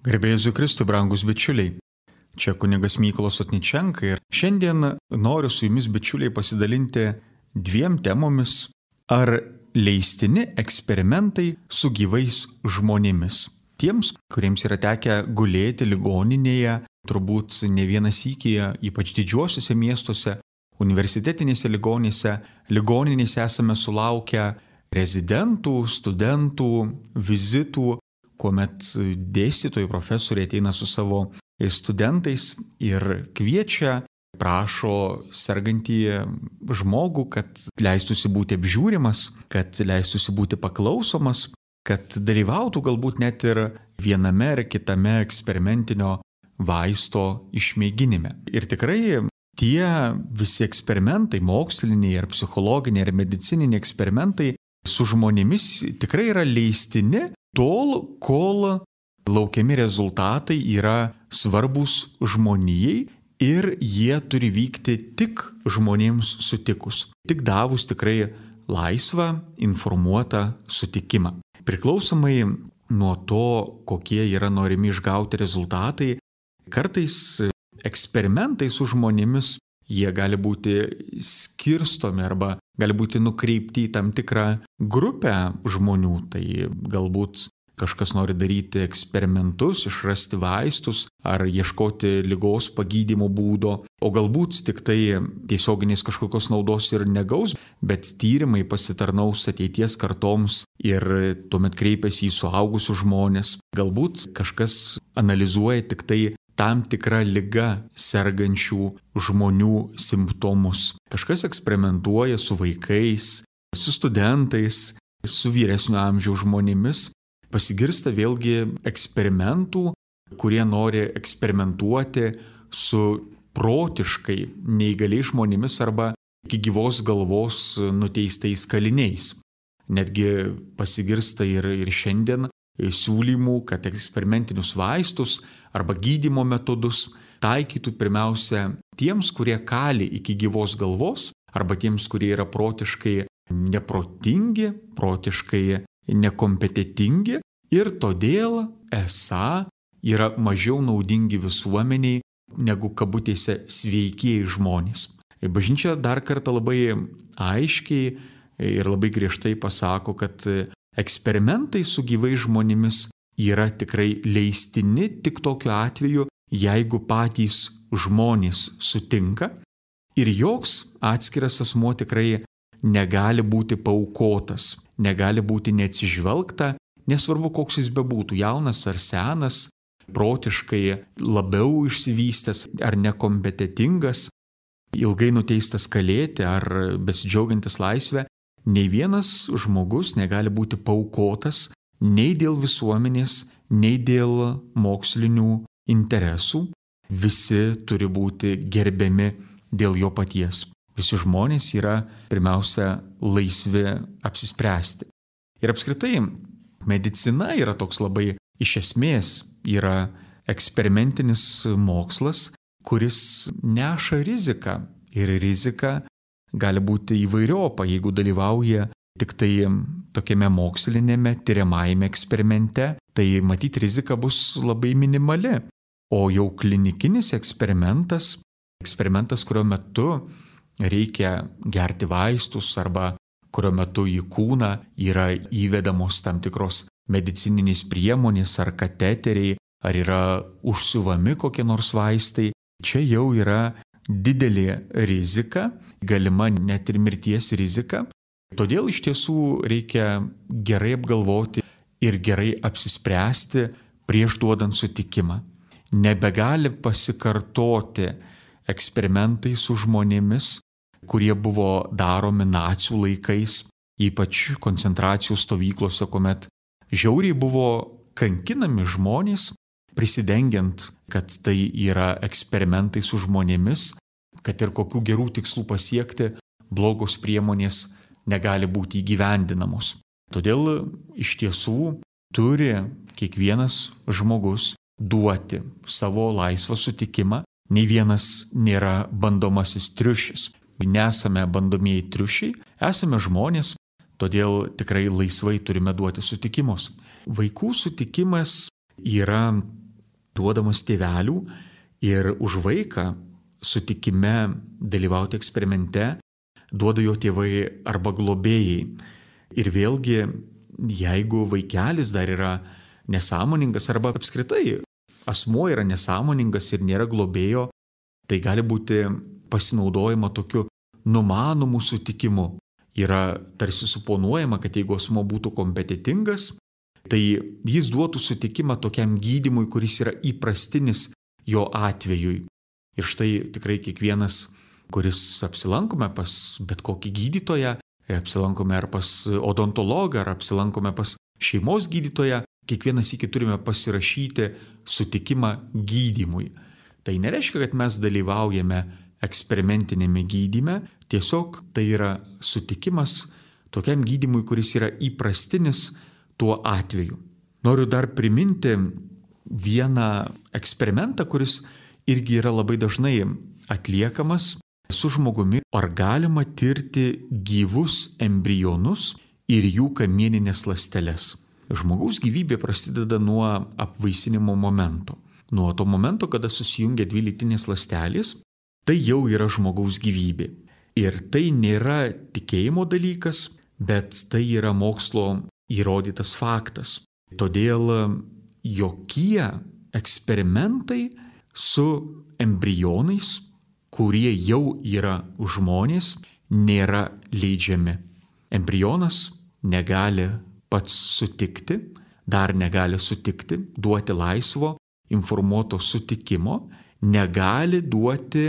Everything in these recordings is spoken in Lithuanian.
Garbė Jėzui Kristui, brangus bičiuliai. Čia kunigas Mykolas Sotničenka ir šiandien noriu su jumis, bičiuliai, pasidalinti dviem temomis. Ar leistini eksperimentai su gyvais žmonėmis? Tiems, kuriems yra tekę gulėti ligoninėje, turbūt ne vieną sykį, ypač didžiuosiuose miestuose, universitetinėse ligoninėse esame sulaukę rezidentų, studentų, vizitų, kuomet dėstytojai, profesoriai ateina su savo studentais ir kviečia, prašo sergantį žmogų, kad leistųsi būti apžiūrimas, kad leistųsi būti paklausomas, kad dalyvautų galbūt net ir viename ar kitame eksperimentinio vaisto išmėginime. Ir tikrai tie visi eksperimentai, moksliniai ar psichologiniai ar medicininiai eksperimentai su žmonėmis tikrai yra leistini tol, kol laukiami rezultatai yra svarbus žmonijai ir jie turi vykti tik žmonėms sutikus, tik davus tikrai laisvą, informuotą sutikimą. Priklausomai nuo to, kokie yra norimi išgauti rezultatai, kartais eksperimentai su žmonėmis jie gali būti skirstomi arba gali būti nukreipti į tam tikrą grupę žmonių. Tai galbūt kažkas nori daryti eksperimentus, išrasti vaistus ar ieškoti ligos pagydymo būdo, o galbūt tik tai tiesioginės kažkokios naudos ir negaus, bet tyrimai pasitarnaus ateities kartoms ir tuomet kreipiasi į suaugusius žmonės. Galbūt kažkas analizuoja tik tai tam tikrą ligą sergančių žmonių simptomus. Kažkas eksperimentuoja su vaikais, su studentais, su vyresnio amžiaus žmonėmis. Pasigirsta vėlgi eksperimentų, kurie nori eksperimentuoti su protiškai neįgaliais žmonėmis arba iki gyvos galvos nuteistais kaliniais. Netgi pasigirsta ir šiandien siūlymų, kad eksperimentinius vaistus arba gydymo metodus taikytų pirmiausia tiems, kurie kali iki gyvos galvos, arba tiems, kurie yra protiškai neprotingi, protiškai nekompetentingi ir todėl esą yra mažiau naudingi visuomeniai negu kabutėse sveikieji žmonės. Bažnyčia dar kartą labai aiškiai ir labai griežtai pasako, kad eksperimentai su gyvais žmonėmis yra tikrai leistini tik tokiu atveju, jeigu patys žmonės sutinka ir joks atskiras asmuo tikrai negali būti paaukotas, negali būti neatsižvelgta, nesvarbu koks jis bebūtų, jaunas ar senas, protiškai labiau išsivystęs ar nekompetentingas, ilgai nuteistas kalėti ar besidžiaugiantis laisvę. Nei vienas žmogus negali būti paaukotas nei dėl visuomenės, nei dėl mokslinių interesų. Visi turi būti gerbiami dėl jo paties. Visi žmonės yra pirmiausia laisvi apsispręsti. Ir apskritai medicina yra toks labai iš esmės yra eksperimentinis mokslas, kuris neša riziką. Ir rizika gali būti įvairiopa, jeigu dalyvauja tik tai tokiame mokslinėme tyriamajame eksperimente, tai matyt rizika bus labai minimali. O jau klinikinis eksperimentas, kurio metu reikia gerti vaistus arba kurio metu į kūną yra įvedamos tam tikros medicininės priemonės ar kateteriai, ar yra užsiuvami kokie nors vaistai, čia jau yra didelė rizika, galima net ir mirties rizika. Todėl iš tiesų reikia gerai apgalvoti ir gerai apsispręsti prieš duodant sutikimą. Nebegali pasikartoti eksperimentai su žmonėmis, kurie buvo daromi nacių laikais, ypač koncentracijų stovyklose, kuomet žiauriai buvo kankinami žmonės, prisidengiant, kad tai yra eksperimentai su žmonėmis, kad ir kokių gerų tikslų pasiekti, blogos priemonės negali būti įgyvendinamos. Todėl iš tiesų turi kiekvienas žmogus duoti savo laisvą sutikimą. Nei vienas nėra bandomasis triušis. Nesame bandomieji triušiai, esame žmonės, todėl tikrai laisvai turime duoti sutikimus. Vaikų sutikimas yra duodamas tėvelių ir už vaiką sutikime dalyvauti eksperimente duoda jo tėvai arba globėjai. Ir vėlgi, jeigu vaikelis dar yra nesąmoningas arba apskritai asmuo yra nesąmoningas ir nėra globėjo, tai gali būti pasinaudojama tokiu numanomu sutikimu. Yra tarsi suponuojama, kad jeigu asmuo būtų kompetitingas, tai jis duotų sutikimą tokiam gydymui, kuris yra įprastinis jo atvejui. Ir štai tikrai kiekvienas, kuris apsilankome pas bet kokį gydytoją, apsilankome ar pas odontologą, ar apsilankome pas šeimos gydytoją, kiekvienas iki turime pasirašyti sutikimą gydymui. Tai nereiškia, kad mes dalyvaujame eksperimentinėme gydyme, tiesiog tai yra sutikimas tokiam gydymui, kuris yra įprastinis tuo atveju. Noriu dar priminti vieną eksperimentą, kuris irgi yra labai dažnai atliekamas su žmogumi, ar galima tirti gyvus embrionus ir jų kamieninės ląsteles. Žmogaus gyvybė prasideda nuo apvaisinimo momento. Nuo to momento, kada susijungia dvi lytinės ląstelės, tai jau yra žmogaus gyvybė. Ir tai nėra tikėjimo dalykas, bet tai yra mokslo įrodytas faktas. Todėl jokie eksperimentai su embrionais, kurie jau yra žmonės, nėra leidžiami. Embrionas negali pats sutikti, dar negali sutikti, duoti laisvo, informuoto sutikimo, negali duoti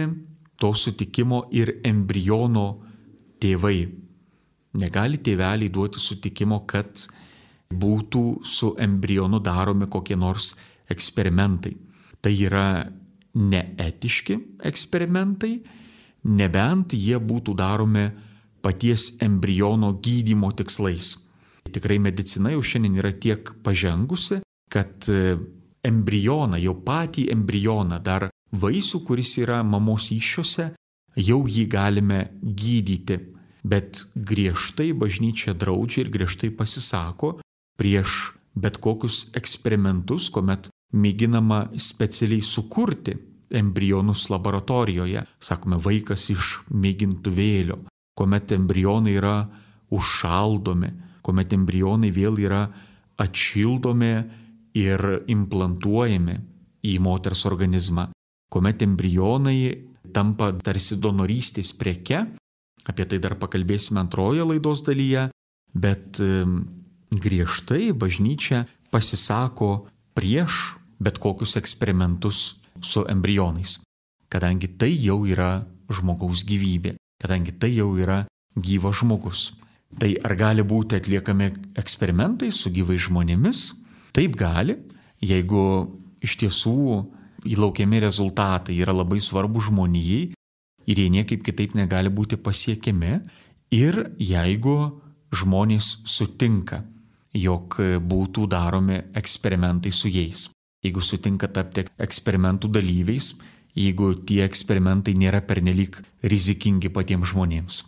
to sutikimo ir embriono tėvai. Negali tėveliai duoti sutikimo, kad būtų su embrionu daromi kokie nors eksperimentai. Tai yra neetiški eksperimentai, nebent jie būtų daromi paties embriono gydymo tikslais. Tikrai medicina jau šiandien yra tiek pažengusi, kad embrioną, jau patį embrioną, dar vaisių, kuris yra mamos įsčiose, jau jį galime gydyti. Bet griežtai bažnyčia draudžia ir griežtai pasisako prieš bet kokius eksperimentus, kuomet mėginama specialiai sukurti embrionus laboratorijoje. Sakome, vaikas iš mėgintuvėlio, kuomet embrionai yra užšaldomi, kuomet embrionai vėl yra atšildomi ir implantuojami į moters organizmą, kuomet embrionai tampa tarsi donorystės preke. Apie tai dar pakalbėsime antroje laidos dalyje, bet griežtai bažnyčia pasisako prieš bet kokius eksperimentus su embrionais, kadangi tai jau yra žmogaus gyvybė, kadangi tai jau yra gyvas žmogus. Tai ar gali būti atliekami eksperimentai su gyvais žmonėmis? Taip gali, jeigu iš tiesų įlaukiami rezultatai yra labai svarbus žmonijai ir jie niekaip kitaip negali būti pasiekiami, ir jeigu žmonės sutinka, jog būtų daromi eksperimentai su jais. Jeigu sutinka tapti eksperimentų dalyviais, jeigu tie eksperimentai nėra pernelyg rizikingi patiems žmonėms.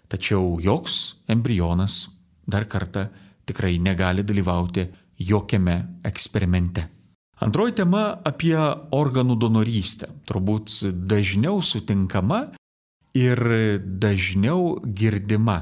Tačiau joks embrionas, dar kartą, tikrai negali dalyvauti jokiame eksperimente. Antroji tema apie organų donorystę. Turbūt dažniau sutinkama ir dažniau girdima.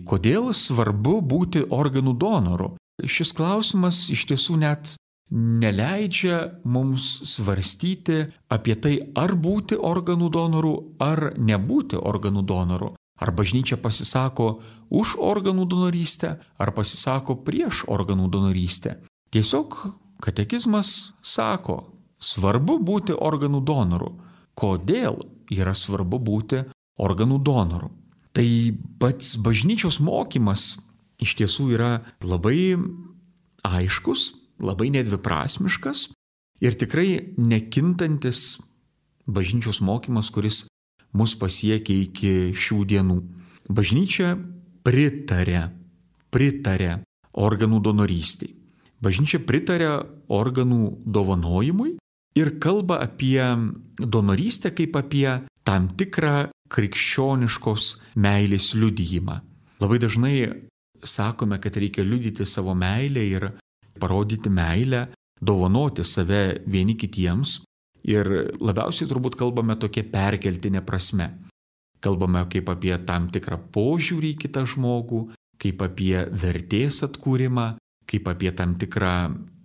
Kodėl svarbu būti organų donoru? Šis klausimas iš tiesų net neleidžia mums svarstyti apie tai, ar būti organų donoru, ar nebūti organų donoru. Ar bažnyčia pasisako už organų donorystę, ar pasisako prieš organų donorystę. Tiesiog katekizmas sako, svarbu būti organų donoru. Kodėl yra svarbu būti organų donoru? Tai pats bažnyčios mokymas iš tiesų yra labai aiškus, labai nedviprasmiškas ir tikrai nekintantis bažnyčios mokymas, kuris mus pasiekia iki šių dienų. Bažnyčia pritarė organų donorystei. Bažnyčia pritarė organų dovanojimui ir kalba apie donorystę kaip apie tam tikrą krikščioniškos meilės liudijimą. Labai dažnai sakome, kad reikia liudyti savo meilę ir parodyti meilę dovanoti save vieni kitiems. Ir labiausiai turbūt kalbame tokia perkeltinė prasme. Kalbame kaip apie tam tikrą požiūrį į kitą žmogų, kaip apie vertės atkūrimą, kaip apie tam tikrą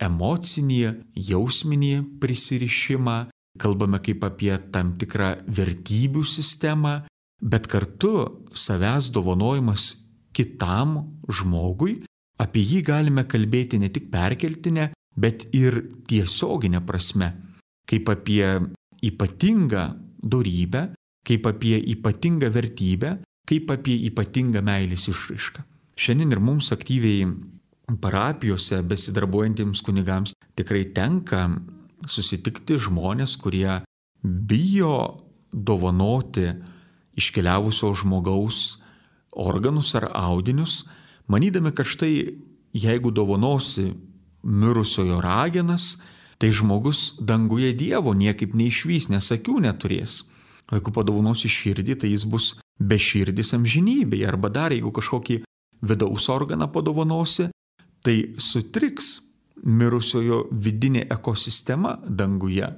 emocinį, jausminį prisirišimą, kalbame kaip apie tam tikrą vertybių sistemą, bet kartu savęs dovanojimas kitam žmogui, apie jį galime kalbėti ne tik perkeltinę, bet ir tiesioginę prasme, kaip apie ypatingą dorybę, kaip apie ypatingą vertybę, kaip apie ypatingą meilės išraišką. Šiandien ir mums aktyviai parapijose besidarbuojantiems kunigams tikrai tenka susitikti žmonės, kurie bijo dovanoti iškeliavusio žmogaus organus ar audinius, manydami, kad štai jeigu dovanosi mirusiojo ragenas, tai žmogus danguje Dievo niekaip neišvys, nes akių neturės. O jeigu padovanosi širdį, tai jis bus beširdis amžinybėje. Arba dar, jeigu kažkokį vidaus organą padovanosi, tai sutriks mirusiojo vidinė ekosistema danguje.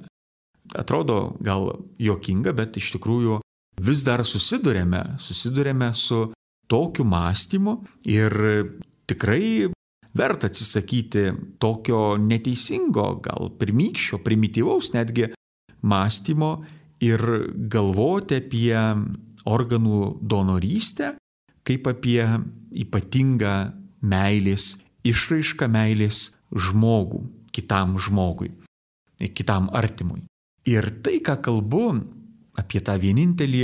Atrodo gal juokinga, bet iš tikrųjų vis dar susidurėme su tokiu mąstymu ir tikrai verta atsisakyti tokio neteisingo, gal pirmykščio, primityvaus netgi mąstymo ir galvoti apie organų donorystę kaip apie ypatingą meilės išraišką, meilės žmogų, kitam žmogui, kitam artimui. Ir tai, ką kalbu apie tą vienintelį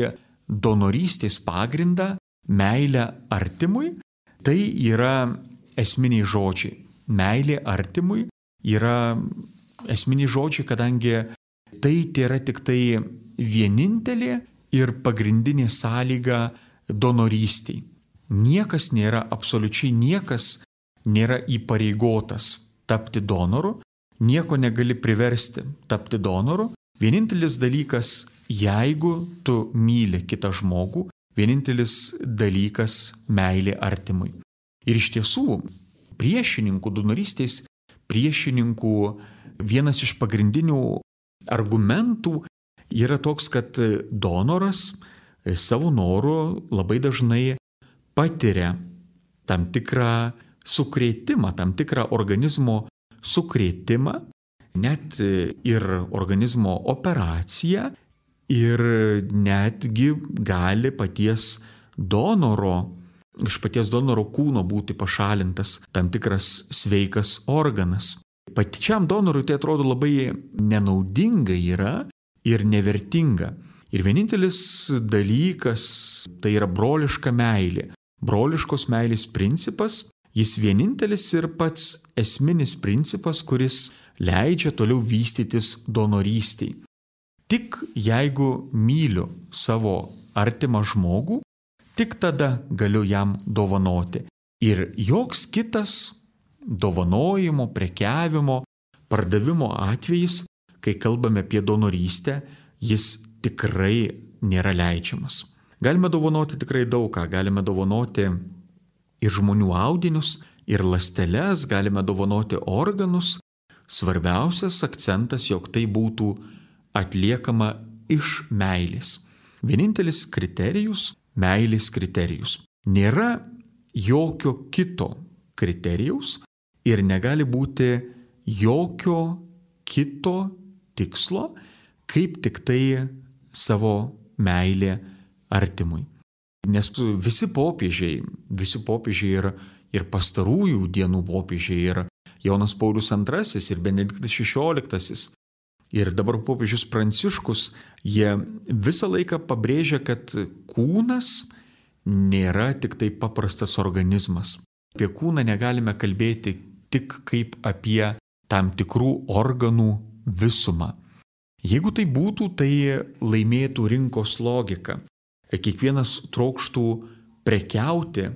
donorystės pagrindą, meilę artimui, tai yra esminiai žodžiai. Meilė artimui yra esminiai žodžiai, kadangi tai yra tik tai vienintelė ir pagrindinė sąlyga donorystiai. Absoliučiai niekas nėra įpareigotas tapti donoru, nieko negali priversti tapti donoru. Vienintelis dalykas, jeigu tu myli kitą žmogų, vienintelis dalykas meilė artimui. Ir iš tiesų, donorystės priešininkų vienas iš pagrindinių argumentų yra toks, kad donoras savo noru labai dažnai patiria tam tikrą sukrėtimą, tam tikrą organizmo sukrėtimą, net ir organizmo operaciją, ir netgi gali iš paties donoro kūno būti pašalintas tam tikras sveikas organas. Pačiam donorui tai atrodo labai nenaudinga yra ir nevertinga. Ir vienintelis dalykas tai yra broliška meilė. Broliškos meilės principas, jis vienintelis ir pats esminis principas, kuris leidžia toliau vystytis donorystiai. Tik jeigu myliu savo artimą žmogų, tik tada galiu jam dovanoti. Ir joks kitas dovanojimo, prekiavimo, pardavimo atvejis, kai kalbame apie donorystę, jis tikrai nėra leidžiamas. Galime dovanoti tikrai daug ką. Galime dovanoti ir žmonių audinius, ir ląsteles, galime dovanoti organus. Svarbiausias akcentas, jog tai būtų atliekama iš meilės. Vienintelis kriterijus, meilės kriterijus. Nėra jokio kito kriterijaus ir negali būti jokio kito tikslo, kaip tik tai savo meilė artimui. Nes visi popiežiai ir pastarųjų dienų popiežiai, ir Jonas Paulius II, ir Benediktas XVI, ir dabar popiežius Pranciškus, jie visą laiką pabrėžia, kad kūnas nėra tik tai paprastas organizmas. Apie kūną negalime kalbėti tik kaip apie tam tikrų organų visumą. Jeigu tai būtų, tai laimėtų rinkos logika. Kiekvienas trokštų prekiauti,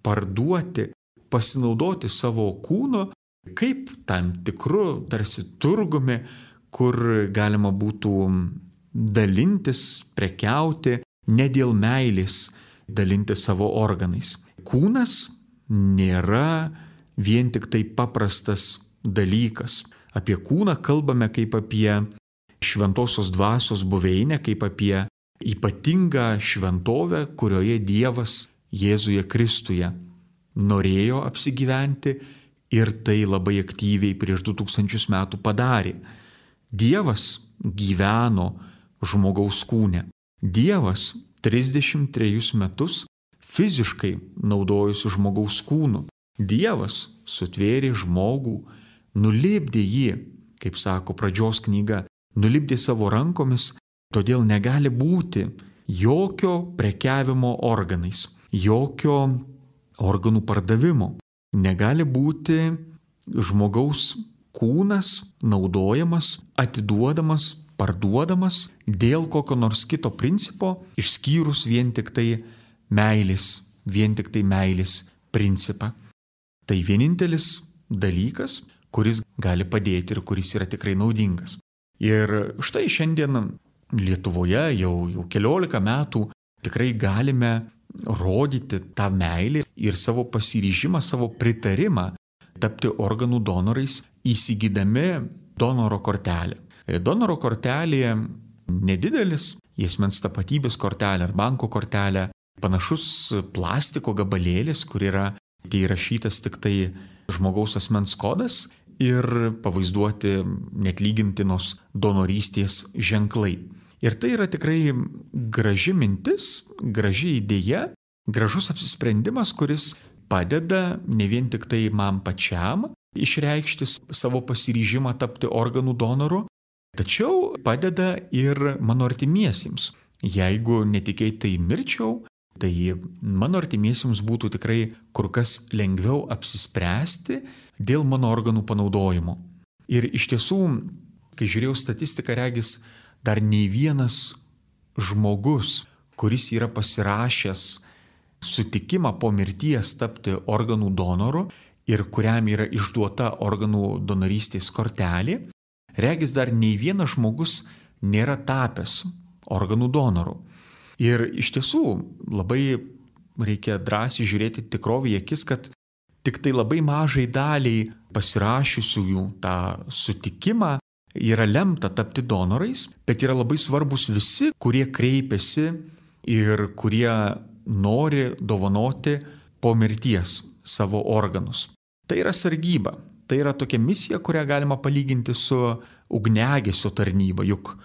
parduoti, pasinaudoti savo kūno kaip tam tikru tarsi turgumi, kur galima būtų dalintis, prekiauti, ne dėl meilės dalintis savo organais. Kūnas nėra vien tik tai paprastas dalykas. Apie kūną kalbame kaip apie šventosios dvasios buveinę, kaip apie ypatingą šventovę, kurioje Dievas Jėzuje Kristuje norėjo apsigyventi ir tai labai aktyviai prieš 2000 metų padarė. Dievas gyveno žmogaus kūne. Dievas 33 metus fiziškai naudojosi žmogaus kūnu. Dievas sutvėrė žmogų, nulipdė jį, kaip sako pradžios knyga, nulipdė savo rankomis, todėl negali būti jokio prekiavimo organais, jokio organų pardavimo. Negali būti žmogaus kūnas naudojamas, atiduodamas, parduodamas dėl kokio nors kito principo, išskyrus vien tik tai meilės principą. Tai vienintelis dalykas, kuris gali padėti ir kuris yra tikrai naudingas. Ir štai šiandien Lietuvoje jau 14 metų tikrai galime rodyti tą meilę ir savo pasiryžimą, savo pritarimą tapti organų donorais, įsigydami donoro kortelę. Donoro kortelė nedidelis, asmens tapatybės kortelė ar banko kortelė, panašus plastiko gabalėlis, kur yra įrašytas tik tai žmogaus asmens kodas ir pavaizduoti neatlygintinos donorystės ženklai. Ir tai yra tikrai graži mintis, graži idėja, gražus apsisprendimas, kuris padeda ne vien tik tai man pačiam išreikšti savo pasiryžimą tapti organų donoru, tačiau padeda ir mano artimiesiems. Jeigu netikėtai mirčiau, tai mano artimiesiems būtų tikrai kur kas lengviau apsispręsti dėl mano organų panaudojimo. Ir iš tiesų, kai žiūrėjau statistiką, regis, dar nei vienas žmogus, kuris yra pasirašęs sutikimą po mirties tapti organų donoru ir kuriam yra išduota organų donorystės kortelė, regis dar nei vienas žmogus nėra tapęs organų donoru. Ir iš tiesų labai reikia drąsiai žiūrėti tikrovį į akis, kad tik tai labai mažai daliai pasirašiusiųjų tą sutikimą yra lemta tapti donorais, bet yra labai svarbus visi, kurie kreipiasi ir kurie nori dovanoti po mirties savo organus. Tai yra sargyba, tai yra tokia misija, kurią galima palyginti su ugniagesio tarnyba, juk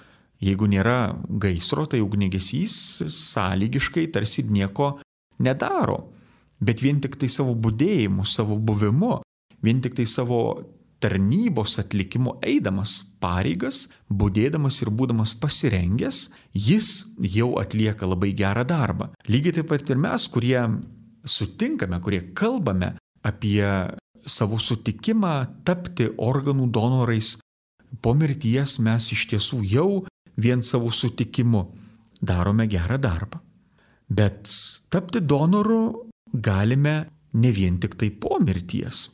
jeigu nėra gaisro, tai ugniagesys sąlygiškai tarsi nieko nedaro, bet vien tik tai savo budėjimu, savo buvimu, vien tik tai savo tarnybos atlikimu eidamas pareigas, budėdamas ir būdamas pasirengęs, jis jau atlieka labai gerą darbą. Lygiai taip pat ir mes, kurie sutinkame, kurie kalbame apie savo sutikimą tapti organų donorais po mirties, mes iš tiesų jau vien savo sutikimu darome gerą darbą. Bet tapti donoru galime ne vien tik tai po mirties.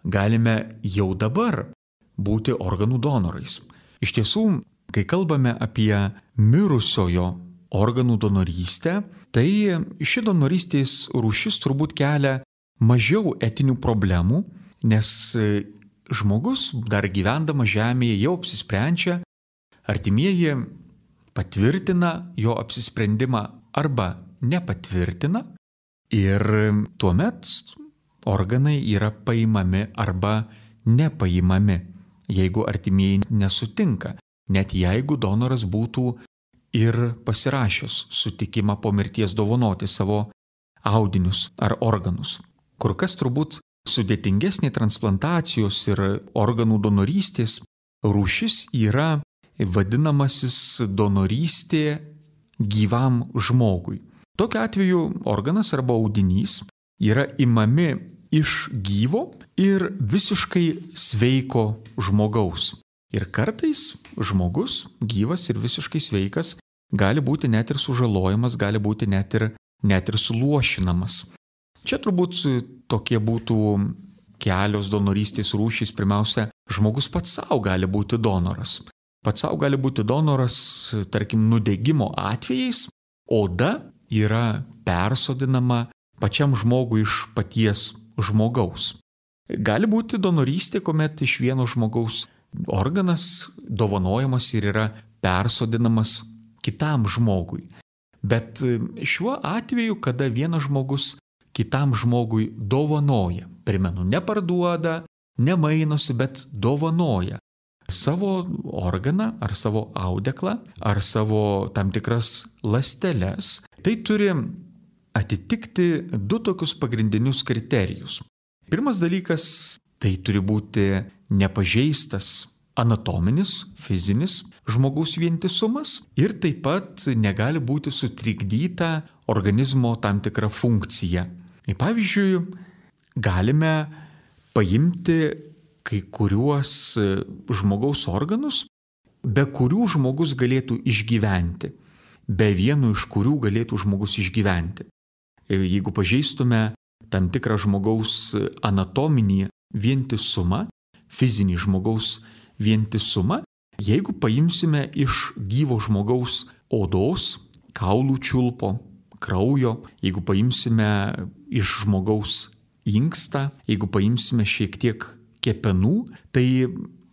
Galime jau dabar būti organų donorais. Iš tiesų, kai kalbame apie mirusiojo organų donorystę, tai ši donorystės rūšis turbūt kelia mažiau etinių problemų, nes žmogus dar gyvendamas žemėje jau apsisprendžia, artimieji patvirtina jo apsisprendimą arba nepatvirtina ir tuomet organai yra paimami arba nepaimami, jeigu artimieji nesutinka, net jeigu donoras būtų ir pasirašęs sutikimą po mirties dovanoti savo audinius ar organus. Kur kas turbūt sudėtingesnė transplantacijos ir organų donorystės rūšis yra vadinamasis donorystė gyvam žmogui. Tokiu atveju organas arba audinys yra imami iš gyvo ir visiškai sveiko žmogaus. Ir kartais žmogus, gyvas ir visiškai sveikas, gali būti net ir sužalojamas, gali būti net ir suluošinamas. Čia turbūt tokie būtų kelios donorystės rūšys. Pirmiausia, žmogus pats savo gali būti donoras. Pats savo gali būti donoras, tarkim, nudegimo atvejais. Oda yra persodinama pačiam žmogui iš paties žmogaus. Gali būti donorystė, kuomet iš vieno žmogaus organas dovanojamas ir yra persodinamas kitam žmogui. Bet šiuo atveju, kada vienas žmogus kitam žmogui dovanoja, primenu, neparduoda, nemainosi, bet dovanoja savo organą ar savo audeklą ar savo tam tikras ląsteles, tai turi atitikti du tokius pagrindinius kriterijus. Pirmas dalykas, tai turi būti nepažeistas anatominis, fizinis žmogaus vientisumas ir taip pat negali būti sutrikdyta organizmo tam tikra funkcija. Pavyzdžiui, galime paimti kai kuriuos žmogaus organus, be kurių žmogus galėtų išgyventi, be vieno iš kurių galėtų žmogus išgyventi. Jeigu pažeistume tam tikrą žmogaus anatominį vientisumą, fizinį žmogaus vientisumą, jeigu paimsime iš gyvo žmogaus odos, kaulų čiulpo, kraujo, jeigu paimsime iš žmogaus inkstą, jeigu paimsime šiek tiek kepenų, tai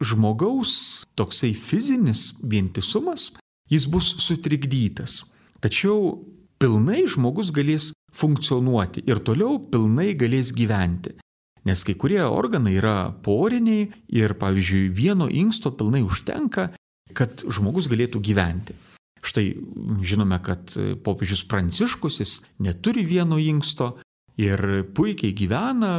žmogaus toksai fizinis vientisumas, jis bus sutrikdytas. Tačiau pilnai žmogus galės funkcionuoti ir toliau pilnai galės gyventi. Nes kai kurie organai yra poriniai ir, pavyzdžiui, vieno inksto pilnai užtenka, kad žmogus galėtų gyventi. Štai žinome, kad popiežius Pranciškus jis neturi vieno inksto ir puikiai gyvena,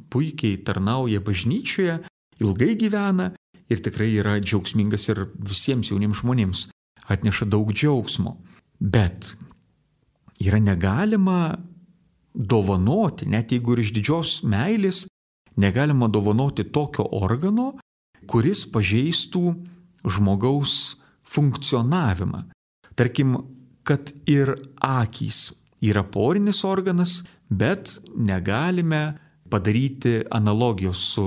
puikiai tarnauja bažnyčioje, ilgai gyvena ir tikrai yra džiaugsmingas ir visiems jauniems žmonėms atneša daug džiaugsmo. Bet yra negalima dovanoti, net jeigu ir iš didžios meilės, negalima dovanoti tokio organo, kuris pažeistų žmogaus funkcionavimą. Tarkim, kad ir akys yra porinis organas, bet negalime padaryti analogijos su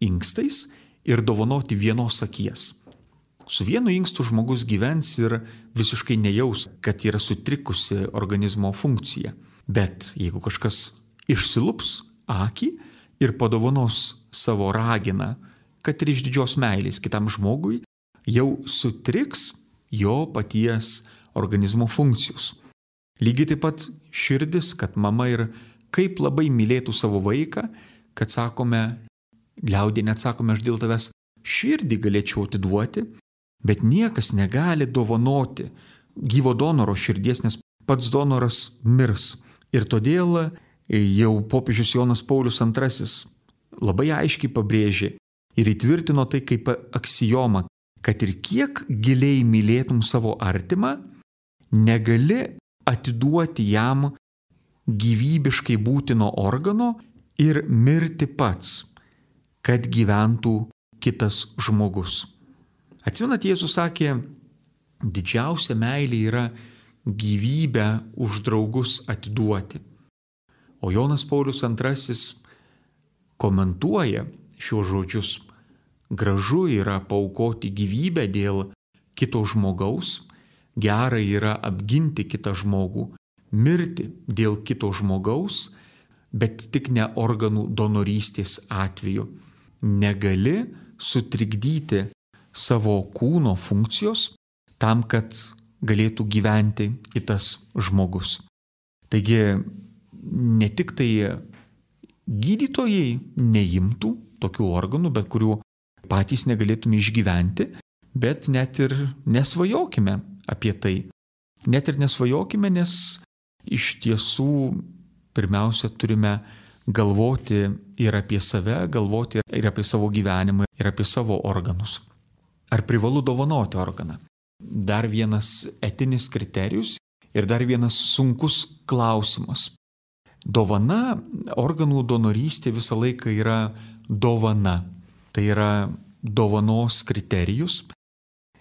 inkstais ir dovanoti vienos akies. Su vienu inkstu žmogus gyvens ir visiškai nejaus, kad yra sutrikusi organizmo funkcija. Bet jeigu kažkas išsilups akį ir padovanos savo raginą, kad ir iš didžios meilės kitam žmogui, jau sutriks jo paties organizmo funkcijos. Lygiai taip pat širdis, kad mama ir kaip labai mylėtų savo vaiką, kad sakome, liaudyje net sakome, aš dėl tavęs širdį galėčiau atiduoti, bet niekas negali dovanoti gyvo donoro širdies, nes pats donoras mirs. Ir todėl jau popiežius Jonas Paulius II labai aiškiai pabrėžė ir įtvirtino tai kaip aksiomą, kad ir kiek giliai mylėtum savo artimą, negali atiduoti jam gyvybiškai būtino organo ir mirti pats, kad gyventų kitas žmogus. Atsimenat, Jėzus sakė, didžiausia meilė yra gyvybę už draugus atiduoti. O Jonas Paulius II komentuoja šiuos žodžius. Gražu yra paaukoti gyvybę dėl kito žmogaus, gera yra apginti kitą žmogų, mirti dėl kito žmogaus, bet tik ne organų donorystės atveju. Negali sutrikdyti savo kūno funkcijos tam, kad galėtų gyventi kitas žmogus. Taigi ne tik tai gydytojai neimtų tokių organų, bet kurių patys negalėtume išgyventi, bet net ir nesvajokime apie tai. Net ir nesvajokime, nes iš tiesų pirmiausia turime galvoti ir apie save, galvoti ir apie savo gyvenimą, ir apie savo organus. Ar privalu dovanoti organą? Dar vienas etinis kriterijus ir dar vienas sunkus klausimas. Dovana, organų donorystė visą laiką yra dovana. Tai yra dovanos kriterijus.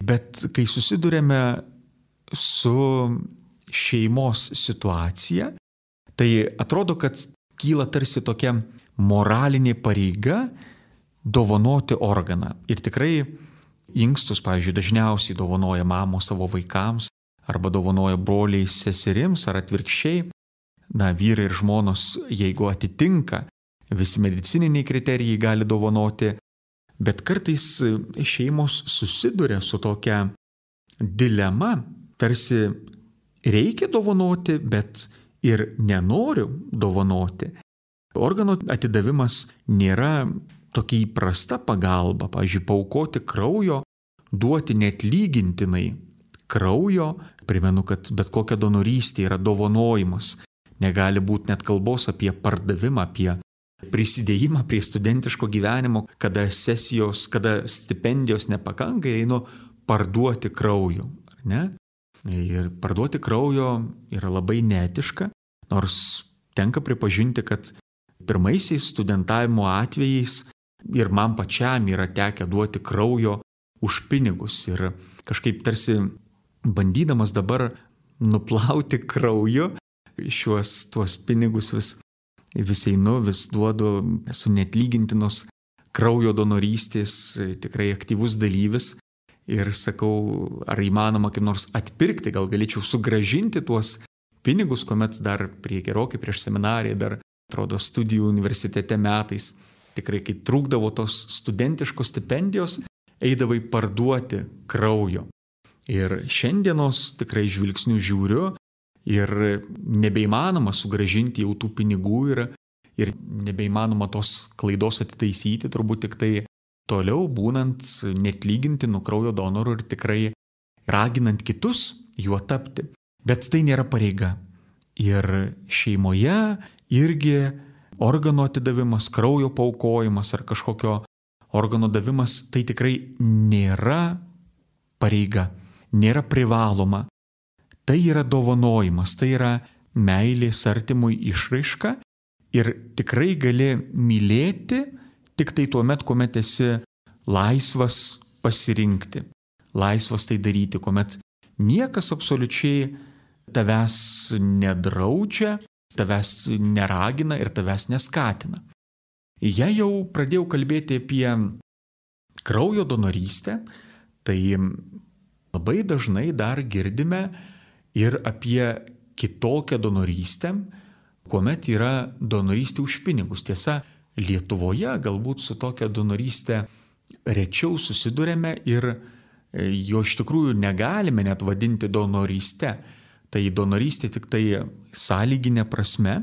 Bet kai susidurėme su šeimos situacija, tai atrodo, kad kyla tarsi tokia moralinė pareiga dovanoti organą. Ir tikrai inkstus, pavyzdžiui, dažniausiai dovanoja mamos savo vaikams, arba dovanoja broliai seserims, ar atvirkščiai. Vyrai ir žmonos, jeigu atitinka visi medicininiai kriterijai, gali dovanoti Bet kartais šeimos susiduria su tokia dilema, tarsi reikia dovanoti, bet ir nenoriu dovanoti. Organo atidavimas nėra tokia įprasta pagalba, pavyzdžiui, paaukoti kraujo, duoti neatlygintinai kraujo. Primenu, kad bet kokia donorystė yra dovanojimas. Negali būti net kalbos apie pardavimą, apie prisidėjimą prie studentiško gyvenimo, kada sesijos, kada stipendijos nepakanka ir einu parduoti kraujo. Ne? Ir parduoti kraujo yra labai neetiška, nors tenka pripažinti, kad pirmaisiais studentavimo atvejais ir man pačiam yra tekę duoti kraujo už pinigus. Ir kažkaip tarsi bandydamas dabar nuplauti krauju tuos pinigus vis einu, vis duodu, esu neatlygintinos kraujo donorystės tikrai aktyvus dalyvis ir sakau, ar įmanoma kaip nors atpirkti, gal galėčiau sugrąžinti tuos pinigus, kuomet dar gerokai prieš seminariją, dar atrodo studijų universitete metais, tikrai kai trūkdavo tos studentiškos stipendijos, eidavai parduoti kraujo. Ir šiandienos tikrai žvilgsnių žiūriu ir nebeįmanoma sugrąžinti jau tų pinigų ir nebeįmanoma tos klaidos atitaisyti, turbūt tik tai toliau būnant neatlygintinų kraujo donorų ir tikrai raginant kitus juo tapti. Bet tai nėra pareiga. Ir šeimoje irgi organo atidavimas, kraujo paaukojimas ar kažkokio organo davimas tai tikrai nėra pareiga, nėra privaloma. Tai yra dovanojimas, tai yra meilės artimui išraiška ir tikrai gali mylėti tik tai tuomet, kuomet esi laisvas pasirinkti, laisvas tai daryti, kuomet niekas absoliučiai tavęs nedraudžia, tavęs neragina ir tavęs neskatina. Jei jau pradėjau kalbėti apie kraujo donorystę, tai labai dažnai dar girdime ir apie kitokią donorystę, kuomet yra donorystė už pinigus. Tiesa, Lietuvoje galbūt su tokia donorystė rečiau susidurėme ir jo iš tikrųjų negalime net vadinti donoryste. Tai donorystė tik tai sąlyginė prasme,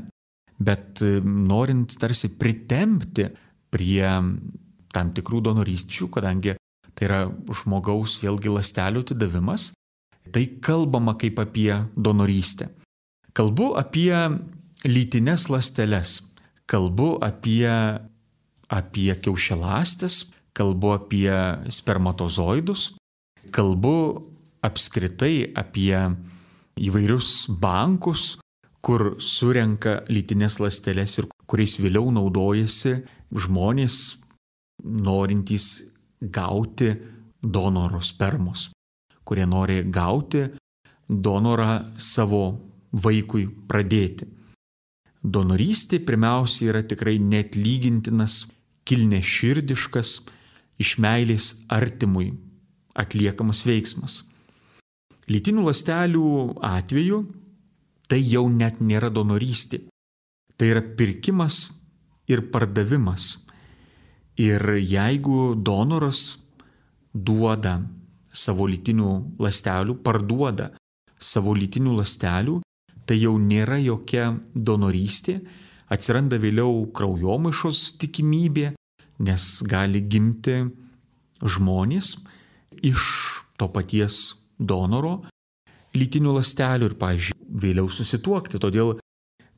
bet norint tarsi pritempti prie tam tikrų donorysčių, kadangi tai yra žmogaus vėlgi ląstelių atidavimas, tai kalbama kaip apie donorystę. Kalbu apie lytines ląsteles, kalbu apie kiaušialąstes, kalbu apie spermatozoidus, kalbu apskritai apie įvairius bankus, kur surenka lytines ląsteles ir kuriais vėliau naudojasi žmonės norintys gauti donoro spermos, kurie nori gauti donorą savo vaikui pradėti. Donorystė pirmiausia yra tikrai neatlygintinas, kilniaširdiškas, iš meilės artimui atliekamas veiksmas. Lytinių ląstelių atveju tai jau net nėra donorystė. Tai yra pirkimas ir pardavimas. Ir jeigu donoras duoda savo lytinių ląstelių, parduoda savo lytinių ląstelių, tai jau nėra jokia donorystė, atsiranda vėliau kraujomaišos tikimybė, nes gali gimti žmonės iš to paties donoro lytinių ląstelių ir, pavyzdžiui, vėliau susituokti. Todėl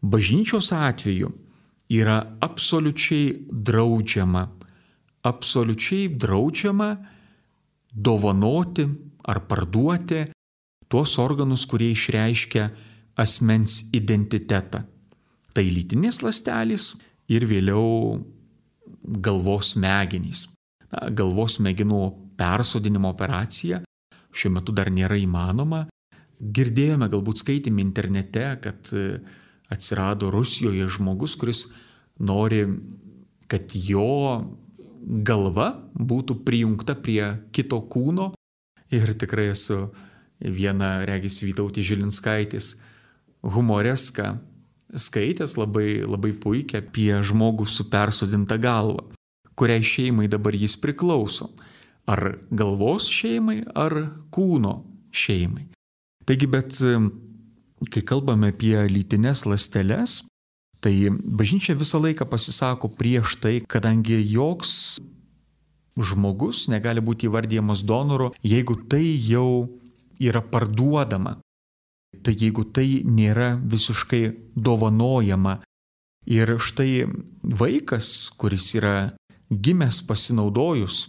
bažnyčios atveju yra absoliučiai draudžiama dovanoti ar parduoti tuos organus, kurie išreiškia asmens identitetą. Tai lytinės ląstelės ir vėliau galvos smegenys. Galvos smegenų persodinimo operacija šiuo metu dar nėra įmanoma. Girdėjome, galbūt skaitėme internete, kad atsirado Rusijoje žmogus, kuris nori, kad jo galva būtų prijungta prie kito kūno. Ir tikrai esu vieną, regis, Vytautės Žilinskaitės humoreską skaitęs labai puikiai apie žmogų su persodinta galva, kuriai šeimai dabar jis priklauso. Ar galvos šeimai, ar kūno šeimai. Taigi, bet kai kalbame apie lytines ląsteles, tai bažnyčia visą laiką pasisako prieš tai, kadangi joks žmogus negali būti įvardyjamas donoru, jeigu tai jau yra parduodama. Tai jeigu tai nėra visiškai dovanojama. Ir štai vaikas, kuris yra gimęs pasinaudojus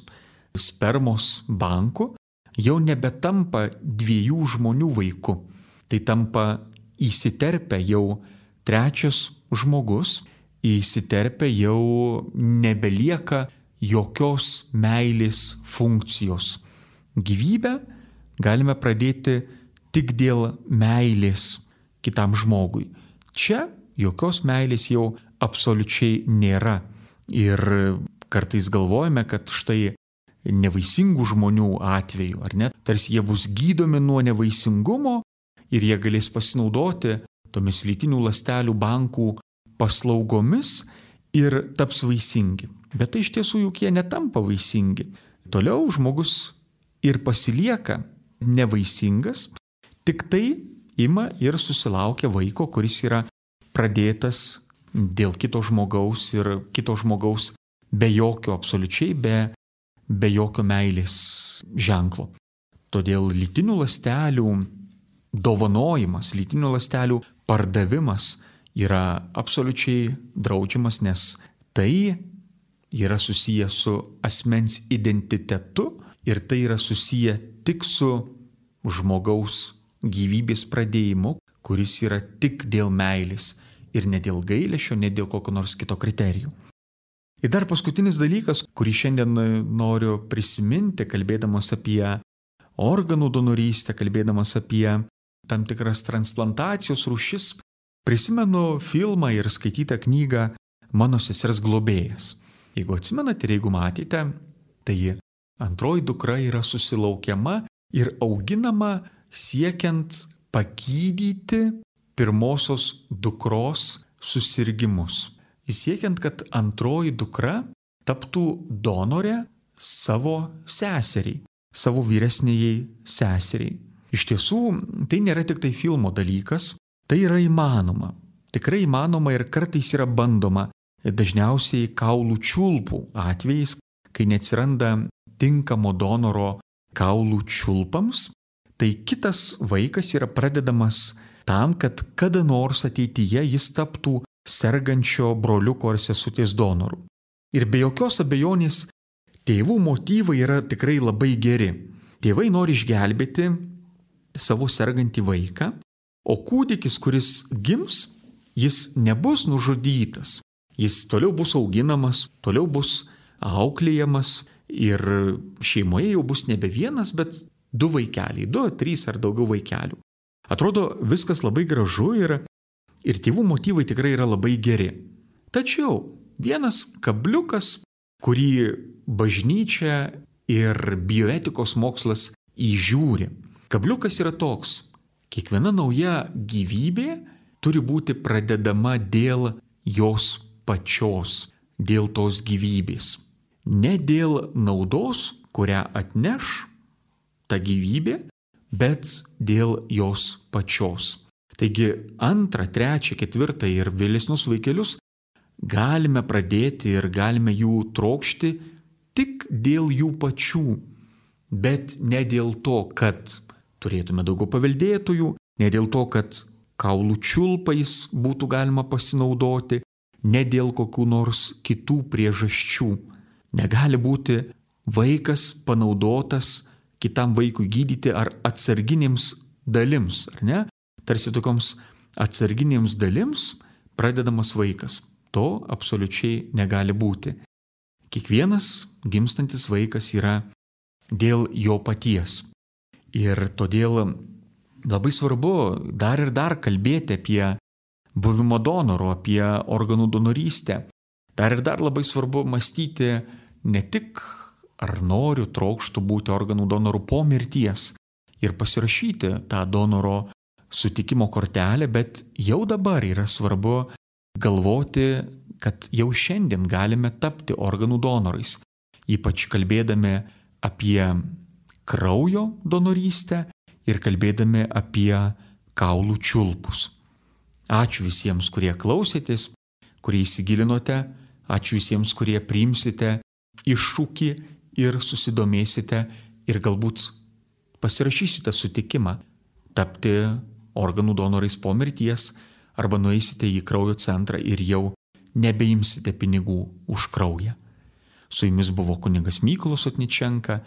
spermos banku, jau nebetampa dviejų žmonių vaiku. Tai tampa įsiterpę jau trečias žmogus, įsiterpę jau nebelieka jokios meilės funkcijos. Gyvybę galime pradėti tik dėl meilės kitam žmogui. Čia jokios meilės jau absoliučiai nėra. Ir kartais galvojame, kad štai nevaisingų žmonių atveju, ar ne, tarsi jie bus gydomi nuo nevaisingumo ir jie galės pasinaudoti tomis lytinių ląstelių bankų paslaugomis ir taps vaisingi. Bet tai iš tiesų juk jie netampa vaisingi. Toliau žmogus ir pasilieka nevaisingas, tik tai ima ir susilaukia vaiko, kuris yra pradėtas dėl kito žmogaus ir kito žmogaus be jokio absoliučiai, be jokio meilės ženklo. Todėl lytinių ląstelių dovanojimas, lytinių ląstelių pardavimas yra absoliučiai draudžiamas, nes tai yra susiję su asmens identitetu ir tai yra susiję tik su žmogaus gyvybės pradėjimu, kuris yra tik dėl meilės ir ne dėl gailesčio, ne dėl kokio nors kito kriterijų. Ir dar paskutinis dalykas, kurį šiandien noriu prisiminti, kalbėdamas apie organų donorystę, kalbėdamas apie tam tikras transplantacijos rūšis, prisimenu filmą ir skaitytą knygą Mano sesers globėjas. Jeigu atsimenate ir jeigu matėte, tai antroji dukra yra susilaukiama ir auginama siekiant pagydyti pirmosios dukros susirgimus. Siekiant, kad antroji dukra taptų donorė savo seseriai, savo vyresnėjai seseriai. Iš tiesų, tai nėra tik tai filmo dalykas, tai yra įmanoma. Tikrai įmanoma ir kartais yra bandoma, dažniausiai kaulų čiulpų atvejais, kai neatsiranda tinkamo donoro kaulų čiulpams, tai kitas vaikas yra pradedamas tam, kad kada nors ateityje jis taptų sergančio broliuko ar sesutės donoru. Ir be jokios abejonės tėvų motyvai yra tikrai labai geri. Tėvai nori išgelbėti savo sergantį vaiką, o kūdikis, kuris gims, jis nebus nužudytas. Jis toliau bus auginamas, toliau bus auklėjamas ir šeimoje jau bus nebe vienas, bet 2 vaikeliai, 2, 3 ar daugiau vaikelių. Atrodo, viskas labai gražu ir tėvų motyvai tikrai yra labai geri. Tačiau vienas kabliukas, kurį bažnyčia ir bioetikos mokslas įžiūri. Kabliukas yra toks: kiekviena nauja gyvybė turi būti pradedama dėl jos pačios, dėl tos gyvybės. Ne dėl naudos, kurią atneš ta gyvybė, bet dėl jos pačios. Taigi 2, 3, 4 ir vėlesnius vaikelius galime pradėti ir galime jų trokšti tik dėl jų pačių, bet ne dėl to, kad turėtume daugiau paveldėtojų, ne dėl to, kad kaulų čiulpais būtų galima pasinaudoti, ne dėl kokių nors kitų priežasčių. Negali būti vaikas panaudotas kitam vaikui gydyti ar atsarginėms dalims, ar ne? Tarsi tokioms atsarginėms dalims pradedamas vaikas. To absoliučiai negali būti. Kiekvienas gimstantis vaikas yra dėl jo paties. Ir todėl labai svarbu dar ir dar kalbėti apie buvimo donoru, apie organų donorystę. Dar ir dar labai svarbu mąstyti ne tik ar noriu, trokštų būti organų donoru po mirties ir pasirašyti tą donoro sutikimo kortelę, bet jau dabar yra svarbu galvoti kad jau šiandien galime tapti organų donorais, ypač kalbėdami apie kraujo donorystę ir kalbėdami apie kaulų čiulpus. Ačiū visiems, kurie klausėtės, kurie įsigilinote, ačiū visiems, kurie priimsite iššūkį ir susidomėsite ir galbūt pasirašysite sutikimą tapti organų donorais po mirties arba nueisite į kraujo centrą ir jau nebeimsite pinigų už kraują. Su jumis buvo kunigas Mykolas Sotničenka